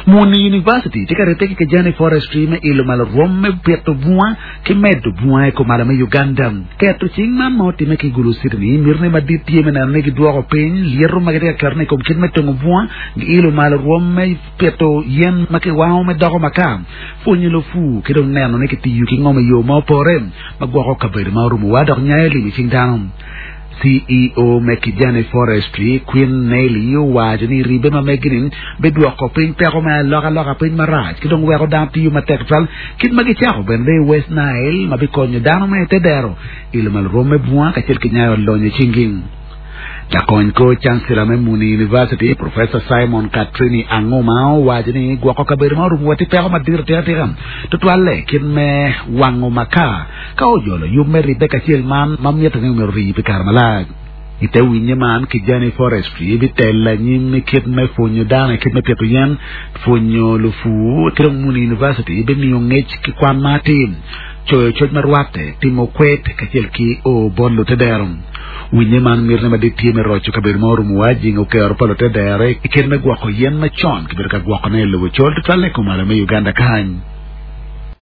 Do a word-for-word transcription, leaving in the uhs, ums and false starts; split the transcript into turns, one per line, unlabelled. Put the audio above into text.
Muni University tye ka ribbe ki Kijani Forestry me ilo malo rwom me pito bunga ki medo bunga i kumalo me Uganda. Keto cing man ma otimme ki Gulu City ni mitine madit tye me neno ni gidwoko piny lyeto ma gitye ka ketone i kom kit me tongo bunga giilo malo rwom me pito yen ma kiwango me doko makar pwonyo lupu ki dong neno ni kitiyo ki ngom i yo ma opore ma gwoko kabedo ma orumowa dok nyayo lim i cing dano. CEO me Kijani Forestry Queen Nelly owaco ni ribbe ma megi-ni bidwoko piny peko me alokaloka piny marac ki dong weko dano tiyo matek tutwal kit ma gicako bene i West Nile ma bikonyo dano me te dero ilo malo rwom me bunga kacel ki nyayo lonyo i cinggi. Lakony kor Chancellor me Muni University, Professor Simon Katrini Anguma owaco ni gwoko kabedo ma orumowa tye peko madit atikatika tutwalle kit me wango makar ka ojolo yub me ribbe kacel man ma mitte ni myero ori pi kare malac. I te winye man, Kijani Forestry bitelo anyim i kit me pwonyo dano i kit me pito yen, pwonyo lupu ki dong Muni University bimiyo ngec ki kwan ma atir, coyo coc ma rwatte, timo kwed kacel ki o bot lutedero. Winye man mitine madit tye me roco kabedo ma orumowa, jingo kero pa lutedero i kit me gwoko yen macon kibedo ka gwokone i lobo col tutwalle i kumalo me Uganda kany.